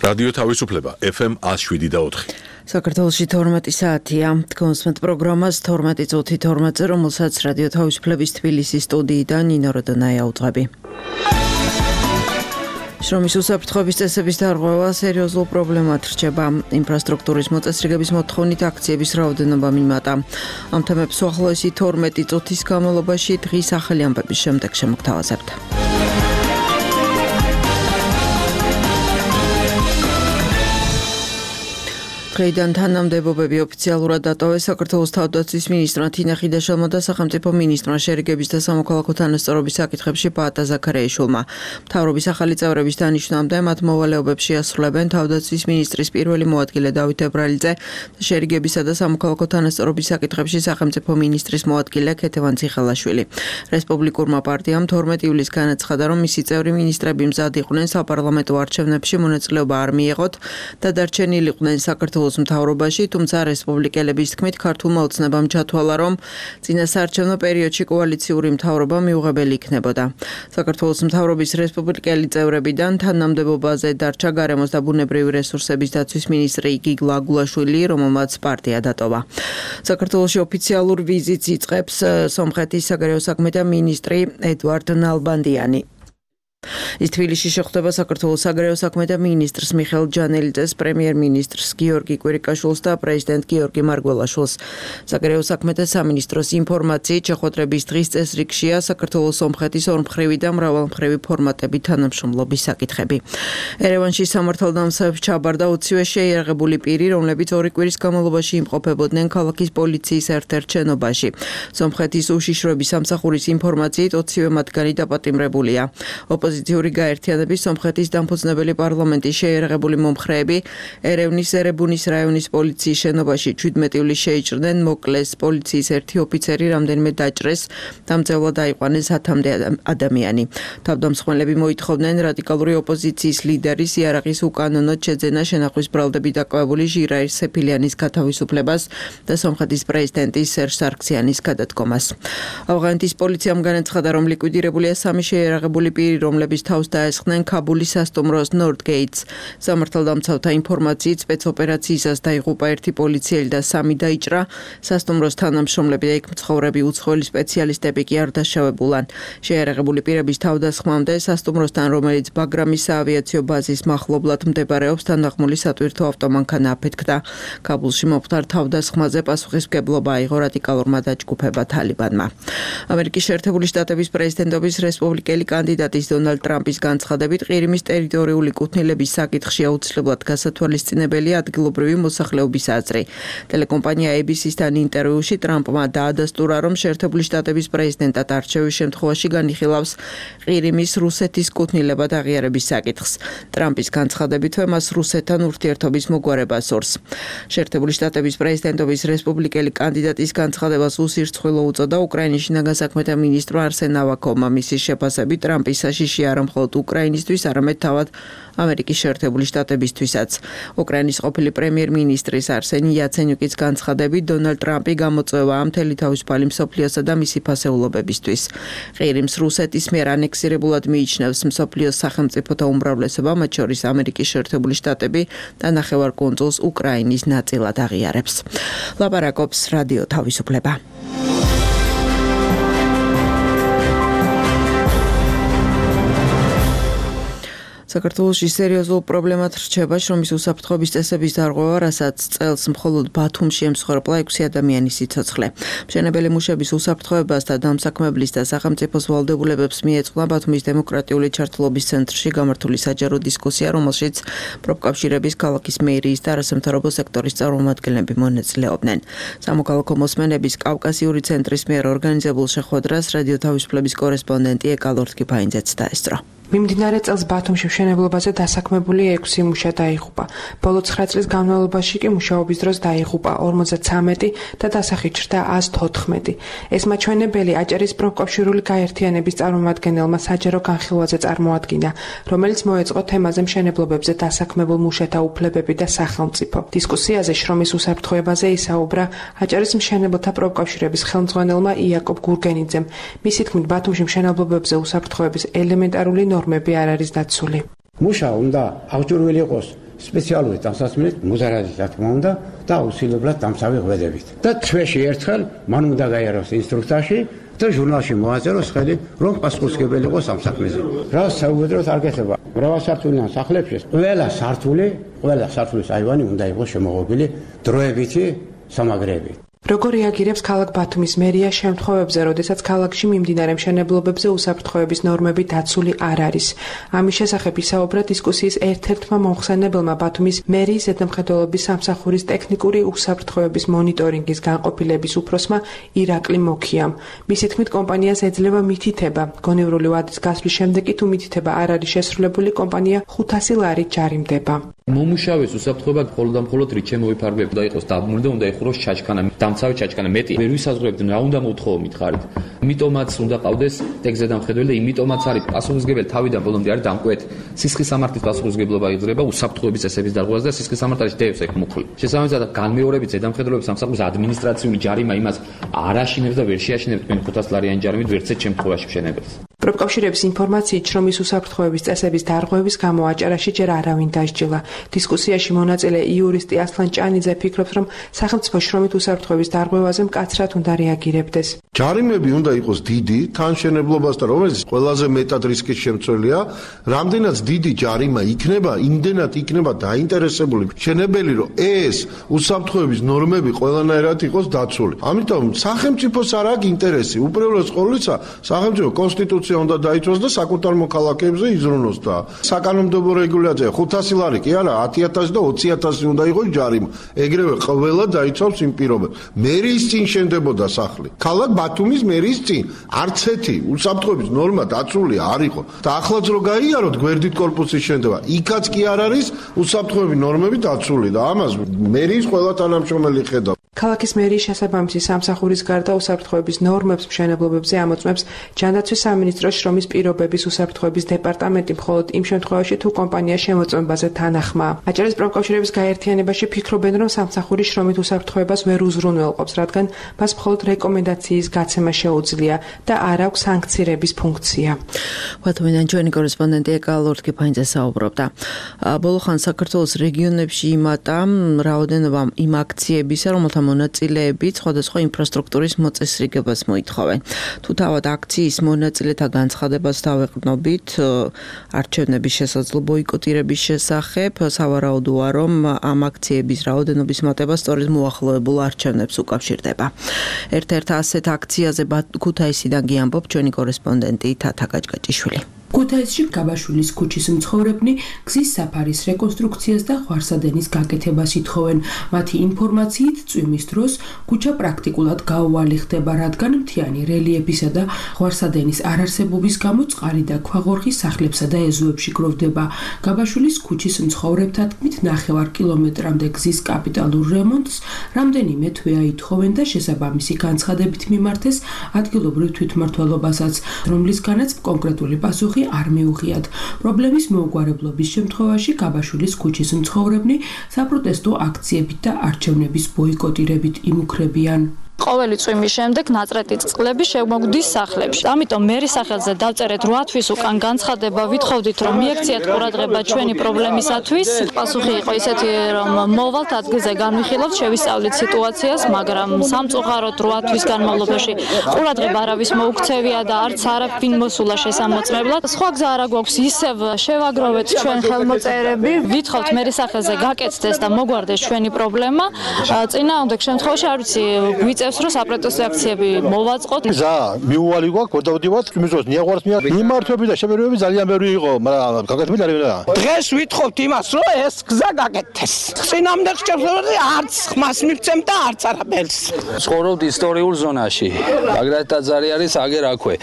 რადიო თავისუფლება FM 107.4. საქართველოში 12 საათია. კონსმეთ პროგრამას 12 წუთი 12-ზე, რომელსაც რადიო თავისუფლების თბილისის სტუდიიდან ნინო როდონაია უძღვები. შრომის უსაფრთხოების წესების დარღვევა სერიოზულ პრობლემად რჩება. ინფრასტრუქტურის მოწესრიგების მოთხოვნით აქციების რაოდენობა მიმატა. ამ თემებს უახლოესი 12 წუთის განმავლობაში დღის ახალი ამბების შემდეგ შემოგთავაზებთ. დღეიდან თანამდებობები ოფიციალურად დატოვეს საქართველოს თავდაცვის მინისტრმა თინა ხიდაშელმა და სახელმწიფო მინისტრმა შერიგების და სამოქალაქო თანასწორობის საკითხებში პაატა ზაქარიაშვილმა. მთავრობის ახალი წევრების დანიშვნამდე მათ მოვალეობებში ასრულებენ თავდაცვის მინისტრის პირველი მოადგილე დავით ებრალიძე და შერიგებისა და სამოქალაქო თანასწორობის საკითხებში სახელმწიფო მინისტრის მოადგილე ქეთევან ციხელაშვილი. რესპუბლიკურმა პარტიამ 12 ივლისს განაცხადა, რომ მისი წევრი მინისტრები მზად იყვნენ საპარლამენტო არჩევნებში მონაწილეობა არ მიეღოთ და დარჩენილიყვნენ საქართველოს მთავრობაში, თუმცა რესპუბლიკელების თქმით ქართულმა ოცნებამ ჩათვალა, რომ წინასაარჩევნო პერიოდში კოალიციური მთავრობა მიუღებელი იქნებოდა. საქართველოს მთავრობის რესპუბლიკელი წევრებიდან თანამდებობაზე დარჩა გარემოს და ბუნებრივი რესურსების დაცვის მინისტრი გიგლა აგულაშვილი, რომელმაც პარტია დატოვა. საქართველოში ოფიციალურ ვიზიტს იწყებს სომხეთის საგარეო საქმეთა მინისტრი ედვარდ ნალბანდიანი. ის თბილისში შეხვდება საქართველოს საგარეო საქმეთა მინისტრს მიხეილ ჯანელიძეს, პრემიერ-მინისტრს გიორგი კვირიკაშვილს და პრეზიდენტ გიორგი მარგველაშვილს. საგარეო საქმეთა სამინისტროს ინფორმაციით შეხვედრების დღის წესრიგშია საქართველოს სომხეთის ორმხრივი და მრავალმხრივი ფორმატებით თანამშრომლობის საკითხები. ერევანში სამართალდამცავებს ჩაბარდა 20-ვე შეიარაღებული პირი, რომლებიც 2 კვირის განმავლობაში იმყოფებოდნენ ქალაქის პოლიციის ერთ-ერთ შენობაში. სომხეთის უშიშროების სამსახურის ინფორმაციით 20-ვე მათგანი დაპატიმრებულია. ოპოზიციური გაერთიანების სომხეთის დამფუძნებელი პარლამენტის შეიარაღებული მომხრეები ერევნის ერებუნის რაიონის პოლიციის შენობაში 17 ივლისს შეიჭრნენ, მოკლეს პოლიციის ერთი ოფიცერი, რამდენიმე დაჭრეს, დამძევლად დაიყვანეს 10-მდე ადამიანი. თავდამსხმელები მოითხოვდნენ რადიკალური ოპოზიციის ლიდერის იარაღის უკანონოდ შეძენა, შენახვის ბრალდებით დაკავებული ჟირაირ სეფილიანის გათავისუფლებას და სომხეთის პრეზიდენტის სერჟ სარქსიანის გადადგომას. ავღანეთის პოლიციამ განაცხადა, რომ ლიკვიდირებულია 3 შეიარაღებული პირი, რომლებიც თავს დაესხნენ ქაბულის სასტუმროს ნორდგეიტს. სამართალდამცავთა ინფორმაციით სპეცოპერაციისას დაიღუპა 1 პოლიციელი და 3 დაიჭრა. სასტუმროს თანამშრომლები და იქ მცხოვრები უცხოელი სპეციალისტები კი არ დაშავებულან. შეიარაღებული პირების თავდასხმამდე სასტუმროსთან, რომელიც ბაგრამის საავიაციო ბაზის მახლობლად მდებარეობს, თანახმული სატვირთო ავტომანქანა აფეთქდა. ქაბულში მომხდარ თავდასხმაზე პასუხისმგებლობა აიღო რადიკალურმა დაჯგუფება თალიბანმა. ამერიკის შეერთებული შტატების პრეზიდენტობის რესპუბლიკელი კანდიდატის დონალდ ტრამპის განცხადებით, ყირიმის ტერიტორიული კუთვნილების საკითხში აუცილებლად გასათვალისწინებელია ადგილობრივი მოსახლეობის აზრი. ტელეკომპანია ABC-სთან ინტერვიუში ტრამპმა დაადასტურა, რომ შეერთებული შტატების პრეზიდენტად არჩევის შემთხვევაში განიხილავს ყირიმის რუსეთის კუთვნილებად აღიარების საკითხს. ტრამპის განცხადებითვე მას რუსეთთან ურთიერთობის მოგვარება სურს. შეერთებული შტატების პრეზიდენტობის რესპუბლიკელი კანდიდატის განცხადებას უსირცხვილო უწოდა უკრაინის შინაგან საქმეთა მინისტრმა არსენ ავაკოვმა. მისი შეფასებით ტრამპის საშიში არა მხოლოდ უკრაინისთვის, არამედ თავად ამერიკის შეერთებული შტატებისთვისაც. უკრაინის ყოფილი პრემიერ-მინისტრის არსენი იაცენიუკის განცხადებით, დონალდ ტრამპი გამოწვევაა მთელი თავისუფალი მსოფლიოსა და მისი ფასეულობებისთვის. ყირიმს რუსეთის მიერ ანექსირებულად მიიჩნევს მსოფლიოს სახელმწიფოთა უმრავლესობა, მათ შორის ამერიკის შეერთებული შტატები და ნახევარკუნძულს უკრაინის ნაწილად აღიარებს. ლაპარაკობს რადიო თავისუფლება. საქართველოში სერიოზულ პრობლემად რჩება შრომის უსაფრთხოების წესების დარღვევა, რასაც წელს მხოლოდ ბათუმში ემსხვერპლა 6 ადამიანის სიცოცხლე. მშენებელი მუშების უსაფრთხოებას და დამსაქმებლის და სახელმწიფოს ვალდებულებებს მიეწყნა ბათუმის დემოკრატიული ჩართულობის ცენტრში გამართული საჯარო დისკუსია, რომელშიც პროფკავშირების, ქალაქის მერიის და არასამთავრობო სექტორის წარმომადგენლები მონაწილეობდნენ. სამოქალაქო მოსმენების კავკასიური ცენტრის მიერ ორგანიზებულ შეხვედრას რადიო თავისუფლების კორესპონდენტი ეკალორდ კიფაინძეც დაესწრო. მიმდინარე წელს ბათუმში მშენებლობაზე დასაქმებული 6 მუშა დაიღუპა. ბოლო 9 წლის განმავლობაში კი მუშაობის დროს დაიღუპა 53 და დასახით ჩრდა 114. ეს მაჩვენებელი აჭარის პროფკავშირული გაერთიანების წარმომადგენელმა საჯარო განხილვაზე წარმოადგინა, რომელიც მოეწყო თემაზე მშენებლობებზე დასაქმებულ მუშათა უფლებები და სახელმწიფო. დისკუსიაზე შრომის უსაფრთხოებაზე ისაუბრა აჭარის მშენებელთა პროფკავშირების ხელმძღვანელმა იაკობ გურგენიძემ. მისი თქმით, ბათუმში მშენებლობებზე უსაფრთხოების ელემენტარული ნორმები არ არის დაცული. მუშა უნდა აღჭურვილი იყოს სპეციალური დასასმით მუზარადის რა თქმა უნდა და აუცილებლად დამცავი ღვედებით. და თვეში ერთხელ მან უნდა გაიაროს ინსტრუქტორში და ჟურნალში მოაწეროს ხელი, რომ პასუხისმგებელი იყოს ამ საქმეზე. რა საუბედროდ არ გეხება. მრავალსართულიან სახლებში ყველა სართულის აივანი უნდა იყოს შემოღობილი დროებითი სამაგრეებით. როგორ რეაგირებს ქალაქ ბათუმის მერია შემთხვევებზე, როდესაც ქალაქში მიმდინარე მშენებლობებზე უსაფრთხოების ნორმები დაცული არ არის? ამის შესახებ ისაუბრა დისკუსიის ერთ-ერთმა მომხსენებელმა ბათუმის მერიის ზედამხედველობის სამსახურის ტექნიკური უსაფრთხოების მონიტორინგის განყოფილების უფროსმა ირაკლი მოქიამ. მისი თქმით, კომპანიას ეძლევა მითითება. გონევრული ვადის გასვლის შემდეგ თუ მითითება არ არის შესრულებული, კომპანია 500 ლარით ჯარიმდება. მომუშავეს უსაფრთხოება მხოლოდ რით შემოიფარგლებ და იყოს დაბრუნდა უნდა იხუროს ჩაჩქანა, დამცავი ჩაჩქანა მეტი ვერ ვისაზღვრებდნენ რა უნდა მოთხოვო მითხარით. იმიტომაც უნდა ყავდეს ტექზედამხედველი და იმიტომაც არის პასუხისმგებელი თავიდან ბოლომდე არის დამკვეთ. სისხლის სამართლის პასუხისმგებლობა იძლება უსაფრთხოების წესების დარღვევას და სისხლის სამართალში დევს ეგ მუხლი. შესაბამისად განმეორებით ზედამხედველობის სამსახურის ადმინისტრაციული ჯარიმა იმას არ აშინებს და ვერ შეაშინებს თქვენ 500 ლარიანი ჯარიმით ვერცეთ შემთხვევაში მშენებელს. პროფკავშირების ინფორმაციით, შრომის უსაფრთხოების წესების დარღვევის გამო აჭარაში ჯერ არავინ დასჯილა. დისკუსიაში მონაწილე იურისტი ასლან ჭანიძე ფიქრობს, რომ სახელმწიფო შრომით უსაფრთხოების დარღვევაზე მკაცრად უნდა რეაგირებდეს. ჯარიმები უნდა იყოს დიდი, თანშენებლობასთან, რომელიც ყველაზე მეტად რისკის შემცველია, რამდენად დიდი ჯარიმა იქნება, იმდენად იქნება დაინტერესებული მშენებელი, რომ ეს უსაფრთხოების ნორმები ყველანაირად იყოს დაცული. ამიტომ სახელმწიფოს არ აქვს ინტერესი, უპირველეს ყოვლისა, სახელმწიფო კონსტიტუცია უნდა დაიცვას და საკუთარ მოქალაქეებზე იზრუნოს და საკანონმდებლო რეგულაცია 500 ლარი კი არა 10,000 და 20,000 უნდა იყოს ჯარიმა. ეგრევე ყველა დაიცავს იმ პირობებს. მერიის წინ შენდებოდა სახლი. ქალაქ ბათუმის მერიის წინ არც ერთი უსაფრთხოების ნორმა დაცული არ იყო. და ახლაც რო გაიაროთ გვერდით კორპუსის შენდება, იქაც კი არ არის უსაფრთხოების ნორმები დაცული და ამას მერიის ყველა თანამშრომელი ხედავს. ქალაქის მერიის შესაბამისი სამსახურის გარდა უსაფრთხოების ნორმებს მშენებლობებზე ამოწმებს ჯანდაცვის სამინისტროს შრომის პირობების უსაფრთხოების დეპარტამენტი მხოლოდ იმ შემთხვევაში თუ კომპანია შემოწმებაზე თანახმაა. აჭარის პროფკავშირების გაერთიანებაში ფიქრობენ, რომ სამსახური შრომით უსაფრთხოებას ვერ უზრუნველყოფს, რადგან მას მხოლოდ რეკომენდაციის გაცემა შეუძლია და არ აქვს სანქცირების ფუნქცია. ბათუმიდან ჩვენი კორესპონდენტი ეკა ლორთქიფანიძე საუბრობდა. ბოლო ხან საქართველოს რეგიონებში იმატა რაოდენობა იმ აქციებისა, რომელთა მონაწილეებით სხვადასხვა ინფრასტრუქტურის მოწესრიგებას მოითხოვენ. თუ თავად აქციის მონაწილეთა განცხადებას დავეყრდნობით არჩევნების შესაძლო ბოიკოტირების შესახებ, სავარაუდოა, რომ ამ აქციების რაოდენობის მატება სწორედ მოახლოებულ არჩევნებს უკავშირდება. ერთ-ერთ ასეთ აქციაზე ქუთაისიდან გიამბობ ჩვენი კორესპონდენტი თათა გაჭგაჭიშვილი. ქუთაისში გაბაშვილის ქუჩის მცხოვრებნი გზის საფარის რეკონსტრუქციას და ხვარსადენის გაკეთებას ითხოვენ. მათი ინფორმაციით, წვიმის დროს ქუჩა პრაქტიკულად გაუვალი ხდება, რადგან მთიანი რელიეფისა და ხვარსადენის არარსებობის გამო წყალი და ქვაღორღი სახლებსა და ეზოებში გროვდება. გაბაშვილის ქუჩის მცხოვრებთა თქმით, 9 კილომეტრამდე გზის კაპიტალურ რემონტს რამდენიმე თვეა ითხოვენ და შესაბამისი განცხადებით მიმართეს ადგილობრივ თვითმმართველობასაც, რომლისგანაც კონკრეტული პასუხი არ მიუღიათ. პრობლემის მოუგვარებლობის შემთხვევაში გაბაშვილის ქუჩის მცხოვრებნი საპროტესტო აქციებით და არჩევნების ბოიკოტირებით იმუქრებიან. ყოველი წვიმის შემდეგ ნაწრეთი წყლები შემოგვდის სახლებში. ამიტომ მერის სახელზე დავწერეთ 8 თვის უკან განცხადება, ვითხოვდით რომ მიექციათ ყურადღება ჩვენი პრობლემისათვის. პასუხი იყო ისეთი, რომ მოვალთ ადგილზე განვიხილავთ, შევისწავლით სიტუაციას, მაგრამ სამწუხაროდ 8 თვის განმავლობაში ყურადღება არავის მოუქცევია და არც არაფინ მოსულა შესამოწმებლად. სხვა გზა არა გვაქვს, ისევ შევაგროვეთ ჩვენ ხელმოწერები, ვითხოვთ მერის სახელზე გაკეთდეს და მოგვარდეს ჩვენი პრობლემა. წინააღმდეგ შემთხვევაში არ ვიცი გვიწევს რომ საპროტესტო აქციები მოვაწყოთ. ზა მიუვალი გვაქვს, გადავდივართ, იმის დროს მიაღვართ მიმართვები და შეფერვები ძალიან ბევრი იყო, მაგრამ გაკეთებული არ იყო. დღეს ვითხოვთ იმას, რომ ეს გზა გაკეთდეს. წინამდე შეფერვები არც ხმას მივცემ და არც არაბელს. ცხოვრობთ ისტორიულ ზონაში. ბაგრატ ტაძარი არის აგერ აქვე.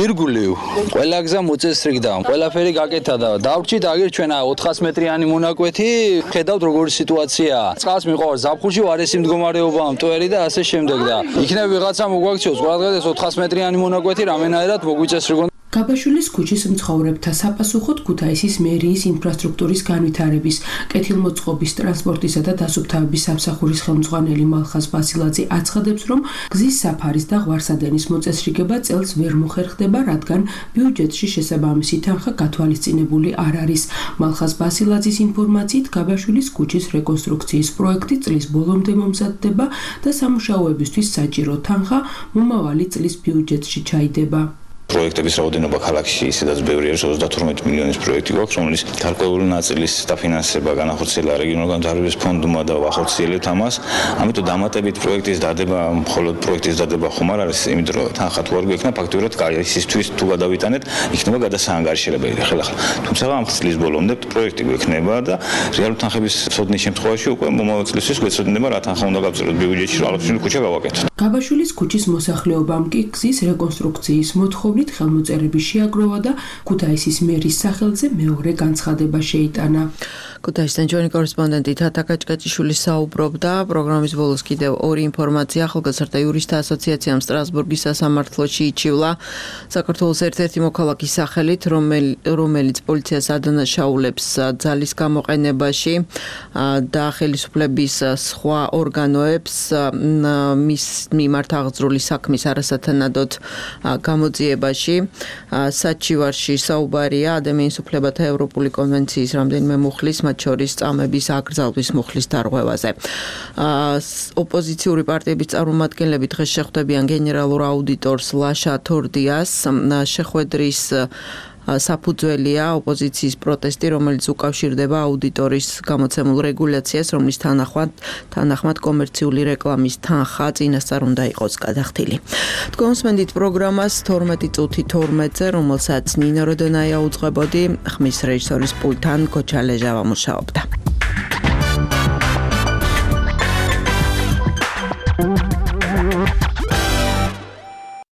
ირგვლივ ყველა გზა მოწესრიგდა, ყველაფერი გაკეთა და დავრჩით აგერ ჩვენ 400 მეტრიანი მონაკვეთი. ხედავთ როგორი სიტუაციაა. წყალს მიყვარს ზაფხულში ვარესი მდგომარეობა, მტვერი და ასე შემდეგ. და იქნებ ვიღაცა მოგვაქციოს, ყველგან ეს 400 მეტრიანი მონაკვეთი რამენაირად მოგვიწესრიგონ. გაბაშვილის ქუჩის მცხოვრებთა საფასუხოდ ქუთაისის მერიის ინფრასტრუქტურის განვითარების, კეთილმოწყობის, ტრანსპორტისა და დასუფთავების სამსახურის ხელმძღვანელი მალხაზ ბასილაძე აცხადებს, რომ გზის საფარის და ღვარსადენის მოწესრიგება წელს ვერ მოხერხდება, რადგან ბიუჯეტში შესაბამისი თანხა გათვალისწინებული არ არის. მალხაზ ბასილაძის ინფორმაციით, გაბაშვილის ქუჩის რეკონსტრუქციის პროექტი წლის ბოლომდე მომზადდება და სამუშაოებისთვის საჭირო თანხა მომავალი წლის ბიუჯეტში ჩაიდება. პროექტების რაოდენობა ქალაქში ისედაც ბევრი არის 32 მილიონის პროექტი გვაქვს, რომელიც გარკვეული ნაწილის დაფინანსება განახორციელა რეგიონულ განვითარების ფონდმა და ვახორციელებთ ამას. ამიტომ დამატებით პროექტის დადება, მხოლოდ პროექტის დადება ხომ არ არის, იმიტომ რომ თანხა თუ არ გვექნა, ფაქტობრივად ისისთვის თუ გადავიტანეთ, იქნება გადასაანგარიშებელი ხელახლა. თუმცა ამ წლის ბოლომდე პროექტი გვექნება და რეალური თანხების ცოდნის შემთხვევაში უკვე მომავალ წლისთვის გვეცოდინება რა თანხა უნდა გავწეროთ ბიუჯეტში, რაღაცნაირი ქუჩა გავაკეთოთ. გაბაშვილის ქუჩის მოსახლეობამ კი გზის რეკონსტრუქციის მოთხოვნით ხელმოწერები შეაგროვა და ქუთაისის მერის სახელზე მეორე განცხადება შეიტანა. ქუთაისიდან ჩვენი კორესპონდენტი თათა კაჭკაჭიშვილი საუბრობდა. პროგრამის ბოლოს კიდევ ორი ინფორმაცია. ახალგაზრდა იურისტთა ასოციაციამ სტრასბურგის სასამართლოში იჩივლა საქართველოს ერთ-ერთი მოქალაქის სახელით, რომელიც პოლიციას ადანაშაულებს ძალის გამოყენებაში და ხელისუფლების სხვა ორგანოებს მის მიმართ აღძრული საქმის არასათანადოდ გამოძიებაში. საჩივარში საუბარია ადამიანის უფლებათა ევროპული კონვენციის რამდენიმე მუხლის, მათ შორის წამების აკრძალვის მუხლის დარღვევაზე. ოპოზიციური პარტიების წარმომადგენლები დღეს შეხვდებიან გენერალურ აუდიტორს ლაშა თორდიას. შეხვედრის საფუძველია ოპოზიციის პროტესტი, რომელიც უკავშირდება აუდიტორის გამოცემულ რეგულაციას, რომლის თანახმად კომერციული რეკლამის თანხა წინასწარ უნდა იყოს გადახდილი. თქვენსმენდით პროგრამას 12:12-ზე, რომელსაც ნინო როდონაია უძღვებოდი, ხმის რეჟისორის პულტთან ქოჩა ლეჟავა მუშაობდა.